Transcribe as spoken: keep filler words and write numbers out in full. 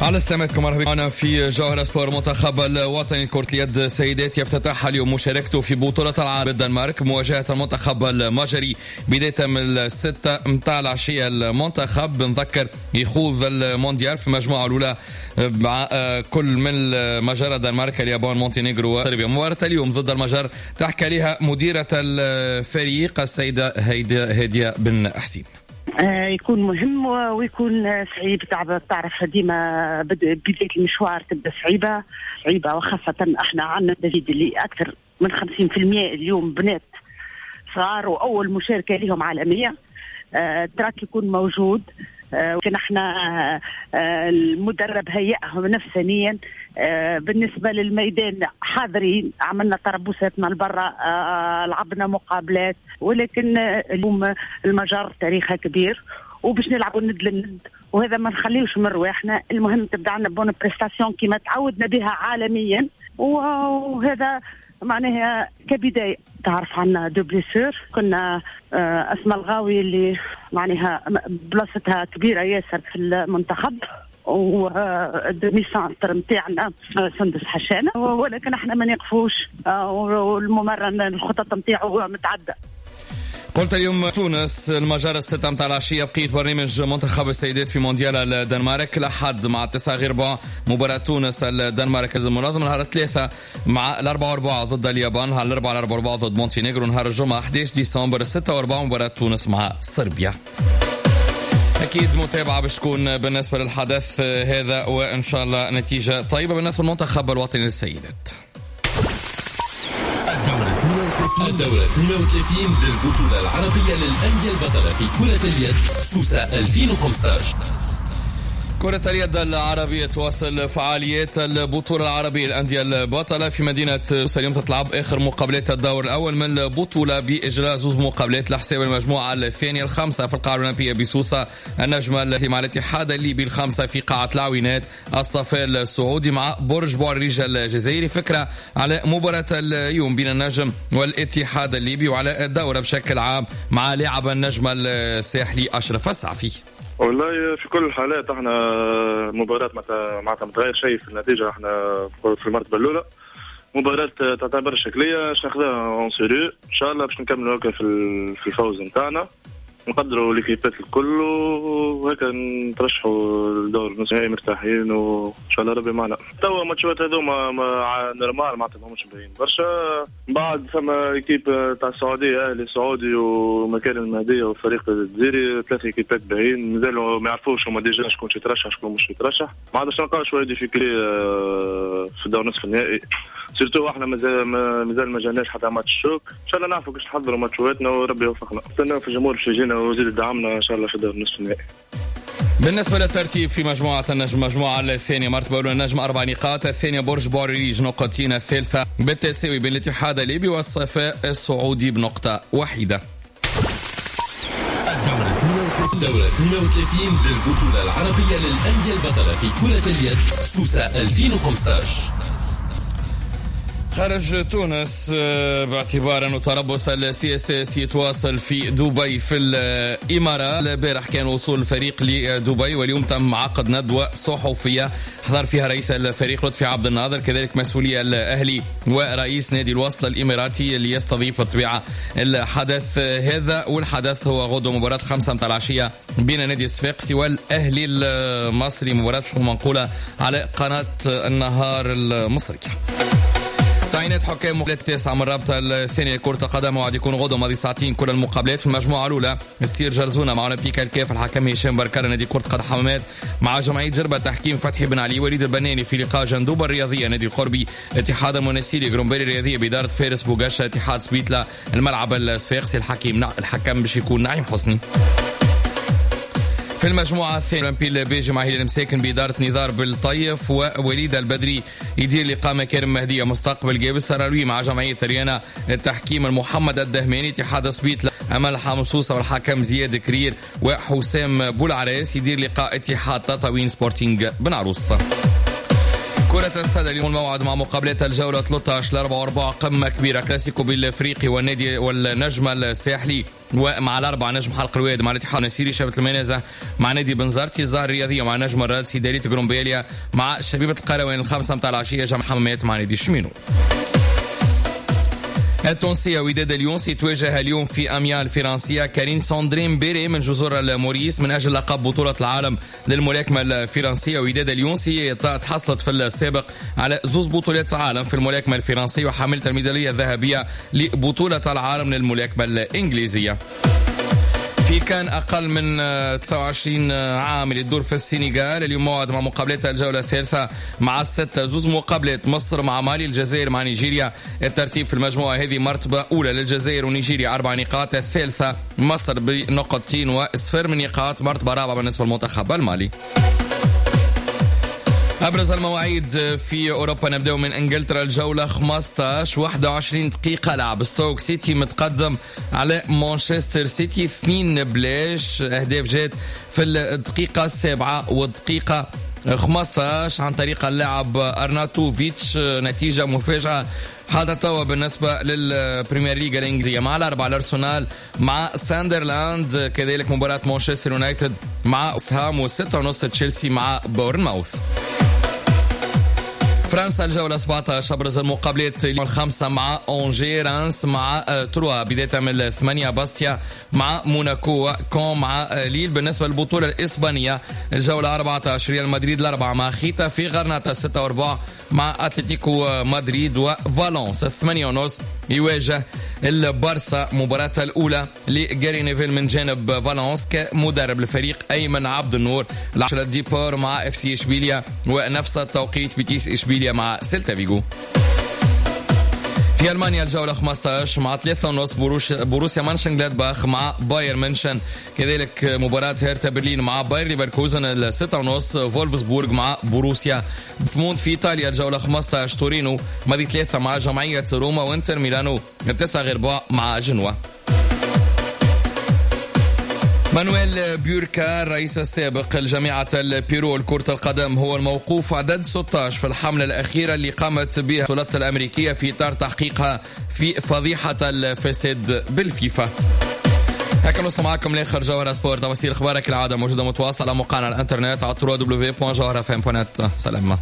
على سلامتكم، مرحبا معنا في جوهرة سبور. منتخب الوطني كرة اليد سيدات يفتتح اليوم مشاركته في بطولة العالم بالدنمارك مواجهة المنتخب المجري بداية من الستة متاع العشية. المنتخب نذكر يخوض المونديال في المجموعة الأولى مع كل من المجر، الدنمارك، اليابان، مونتينيغرو وصربيا. مباراة اليوم ضد المجر تحكي عليها مديرة الفريق السيدة هادية بن حسين. يكون مهم ويكون صعيب، تعرف ديما بداية المشوار تبدا صعيبة صعيبة، وخاصة احنا عندنا تجد اللي أكثر من خمسين بالمئة اليوم بنات صغار وأول مشاركة لهم عالمية. التراك يكون موجود، لكن احنا المدرب هيئهم نفسانيا. بالنسبة للميدان حاضرين، عملنا تربصاتنا لبرا، لعبنا مقابلات، ولكن اليوم المجر تاريخها كبير وباش نلعبوا ند للند، وهذا ما نخليوش من رواحنا. المهم تبدا عندنا bonne prestation كما تعودنا بها عالميا، وهذا معناها كبداية. تعرف عندنا deux blessures، كنا اسماء الغاوي اللي معناها بلاصتها كبيرة ياسر في المنتخب، وال demi-centre نتاعنا سندس حشانه، ولكن احنا ما نقفوش، والممرن الخطط نتاعو متعددة. قلت اليوم تونس المجر الستة متاع العشية بقية برنامج منتخب السيدات في مونديال الدنمارك. الأحد مع تسعة غير ربع مباراة تونس الدنمارك المنظم، نهار الثلاثة مع الأربعة وأربعة ضد اليابان، نهار الأربعة الأربعة وأربعة ضد مونتينيغرو، نهار الجمعة أحد عشر ديسمبر ستة وأربعة مباراة تونس مع صربيا. أكيد متابعة باش تكون بالنسبة للحدث هذا، وإن شاء الله نتيجة طيبة بالنسبة للمنتخب الوطني للسيدات. الدورة اثنين وثلاثين للبطولة العربية للأندية البطلة في كرة اليد سوسة ألفين وخمسة عشر. كرة اليد العربية تواصل فعاليات البطولة العربية للأندية البطلة في مدينة سوسة. اليوم تتلعب آخر مقابلات الدور الأول من البطولة بإجراء زوز مقابلات لحساب المجموعة الثانية، الخمسة في القاعة الأولمبية بسوسة النجمة التي مع الاتحاد الليبي، الخمسة في قاعة العوينات الصفاء السعودي مع برج بوعريريج الجزائري. فكرة على مباراة اليوم بين النجم والاتحاد الليبي وعلى الدورة بشكل عام مع لاعب النجم الساحلي أشرف السعفي. والله في كل الحالات احنا مباراة معناتها ما تغير شيء في النتيجة، احنا في المرتبة الأولى. مباراة تعتبر شكلية باش ناخذها en sérieux ان شاء الله، باش نكملوا هكا في في الفوز نتاعنا، نقدروا ليكيبات الكل وهكا نترشحوا لدور النصف النهائي مرتاحين، وان شاء الله ربي معنا. توا ماتشات هذوما normal معناتها ماهمش باهيين برشا. بعد فما équipe تاع السعودية، اهلي السعودي ومكان المهدية وفريق الجزيري، ثلاث ايكيبات باهيين مازالوا ما يعرفوش هما déjà شكون يترشح شكون مش يترشح. ما عادش نلقاو شوية difficultés في الدور نصف النهائي، surtout احنا مازال مازال ما جاناش حتى match choc. ان شاء الله نعرفوا كيفاش نحضروا ماتشواتنا وربي يوفقنا. نستناو في الجمهور باش يجينا ويزيد يدعمنا ان شاء الله في الدور نصف النهائي. بالنسبة للترتيب في مجموعة النجم، المجموعة الثانية مرتبة الأولى النجم أربع نقاط، الثانية برج بوعريريج نقطتين، الثالثة بالتساوي بين الاتحاد الليبي والصفاء السعودي بنقطة واحدة. الدورة اثنين وثلاثين للبطولة العربية للأندية البطلة في كرة اليد سوسة ألفين وخمسة عشر. خارج تونس باعتبار أنه تربص ال CSS يتواصل في دبي في الإمارات. البارح كان وصول الفريق لدبي، واليوم تم عقد ندوة صحفية حضر فيها رئيس الفريق لطفي عبد الناظر، كذلك مسؤولي الأهلي ورئيس نادي الوصل الإماراتي اللي يستضيف الطبيعة الحدث هذا. والحدث هو غدوة مباراة خمسة متاع العشية بين نادي الصفاقسي والأهلي المصري، مباراة منقولة على قناة النهار المصري. تعيينات حكام مقابلات التاسعة من الرابطة الثانية كرة القدم وعد يكون غدا ماضي ساعتين كل المقابلات. في المجموعة الأولى ستير جرزونة مع أولمبيك الكاف، الحكم هشام بركار نادي كرة قدم حمامات مع جمعية جربة، تحكيم فتحي بن علي وليد البناني في لقاء جندوبة الرياضية نادي القربي اتحاد المناسيري جرومبيري الرياضية بإدارة فارس بوغاشا اتحاد سبيتلا الملعب الصفاقسي، الحكيم الحكم باش يكون نعيم حسني. في المجموعة الثانية أولمبي البيجي مع هلال المساكن بإدارة نزار بالطيف ووليد البدري يدير لقاء مكارم مهدية مستقبل جابس سراوي مع جمعية ريانا، التحكيم المحمد الدهماني اتحاد سبيتلا أمل حمصوصة والحكم زياد كرير وحسام بولعراس يدير لقاء اتحاد تطاوين سبورتينغ بن عروس. كرة السلة اليوم الموعد مع مقابلات الجولة ثلاثة عشر لأربعة وأربعة قمة كبيرة كلاسيكو بالافريقي والنادي والنجم الساحلي ومع الاربعة نجم حلق الواد مع الاتحاد النسيري، شبكة المنازه مع نادي بنزرتي، الزهر الرياضية مع نجم الرادسي، دالية قرمبالية مع شبيبة القروان، الخمسة متاع العشية جامعه حمامات مع نادي شمينو. التونسية وداد اليونسي تواجه اليوم في أميان الفرنسية كارين ساندرين بيري من جزر الموريس من أجل لقب بطولة العالم للملاكمة الفرنسية. وداد اليونسي تحصلت في السابق على زوز بطولات عالم في الملاكمة الفرنسية وحاملة الميدالية الذهبية لبطولة العالم للملاكمة الإنجليزية. في كان أقل من ثلاثة وعشرين عام اللي تدور في السنغال اليوم موعد مع مقابلات الجولة الثالثة مع الستة، زوز مقابلات، مصر مع مالي، الجزائر مع نيجيريا. الترتيب في المجموعة هذه مرتبة أولى للجزائر ونيجيريا أربع نقاط، الثالثة مصر بنقطتين وصفر من نقاط، مرتبة رابعة بالنسبة للمنتخب المالي. أبرز المواعيد في أوروبا، نبدأ من إنجلترا الجولة خمسة عشر، واحد وعشرين دقيقة لعب، ستوك سيتي متقدم على مانشستر سيتي اثنين بلاش، أهداف جات في الدقيقة السابعة والدقيقة خمسة عشر عن طريق اللاعب أرناتوفيتش، نتيجة مفاجأة هذا توا. بالنسبة للبريمير ليج الإنجليزية، مع الأربعة الأرسنال مع ساندرلاند، كذلك مباراة مانشستر يونايتد مع وستهام، وستة ونص تشيلسي مع بورنماوث. فرنسا الجولة سبعة عشر، أبرز المقابلات الخمسة مع أونجي، رانس مع آه، تروا، بداية من الثمانية باستيا مع موناكو، كون مع آه، ليل. بالنسبة للبطولة الإسبانية الجولة أربعة عشر، ريال مدريد الأربعة مع خيتافي، غرناطة ستة وربع مع أتلتيكو مدريد، وفالونس الثمانية ونص يواجه البارسا، مباراة الأولى لجاري نيفيل من جانب فالونس كمدرب الفريق. أيمن عبد النور، العشرة ديبور مع اف سي اشبيليا، ونفس التوقيت بيتيس اشبيليا مع سيلتا فيغو. في المانيا الجولة خمسة عشر، مع ثلاثة ونص بروش بروسيا مانشن مع بايرن ميونشن، كذلك مباراة هيرتا برلين مع باير ليفركوزن، الستة ونص فولفسبورغ مع بروسيا دورتموند. في ايطاليا الجولة خمسة عشر، تورينو ماضي ثلاثة مع جمعية روما، وانتر ميلانو تسعة غير ربع مع جنوا. مانويل بيوركا الرئيس السابق لجامعة البيرو لكرة القدم هو الموقوف عدد ستة عشر في الحملة الأخيرة اللي قامت بها السلطات الأمريكية في إطار تحقيقها في فضيحة الفساد بالفيفا. هكا نوصل معكم لاخر جوهرة سبور. تفاصيل اخبارك العادة موجودة متواصلة على موقعنا على الانترنت على دبليو دبليو دبليو دوت جوهرة اف ام دوت نت. سلام.